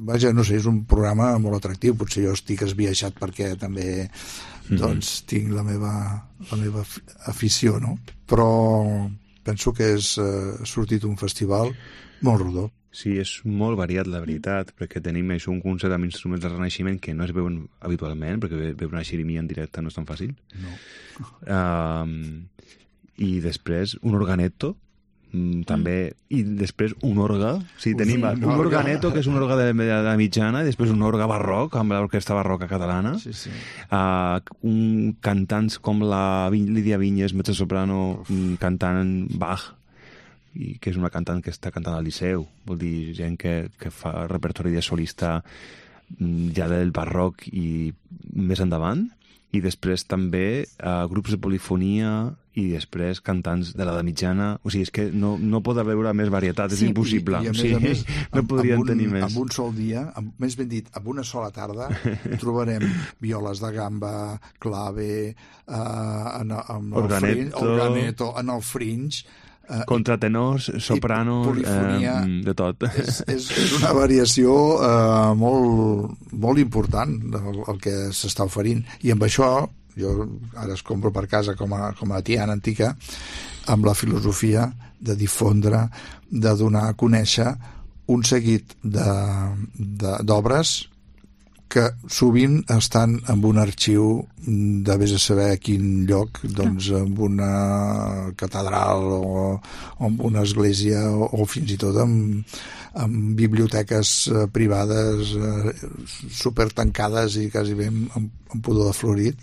vaja, no sé, és un programa molt atractiu. Potser jo estic esbiaixat perquè també doncs tinc la meva afició, no? Però penso que ha sortit un festival molt rodó. Sí, és molt variat, la veritat, perquè tenim això, un concert amb instruments del Renaixement que no es veuen habitualment, perquè veure una xerimia en directe no és tan fàcil. No. I després un organeto, també, i després un orga. Sí, tenim un organeto, que és un orga de la mitjana, i després un orga barroc, amb l'orquestra barroca catalana. Sí, sí. Cantants com la Lídia Vinyes, mezzosoprano, cantant Bach, i que és una cantant que està cantant al Liceu, vol dir gent que fa repertori de solista ja del barroc i més endavant, i després també grups de polifonia i després cantants de l'edat mitjana. O sigui, és que no pot haver més varietat, és impossible. I a més, no podrien tenir més. En un sol dia, més ben dit, en una sola tarda, trobarem violes de gamba, clave, organeto, en el fringe, contratenors, sopranos, polifonia, de tot. És una variació molt important el que s'està oferint. I amb això, jo ara es compro per casa com a tiana antica, amb la filosofia de difondre, de donar a conèixer un seguit d'obres que sovint estan en un arxiu de vés a saber a quin lloc, doncs en una catedral o en una església o fins i tot en biblioteques privades super tancades i quasi bé amb pudor de florit,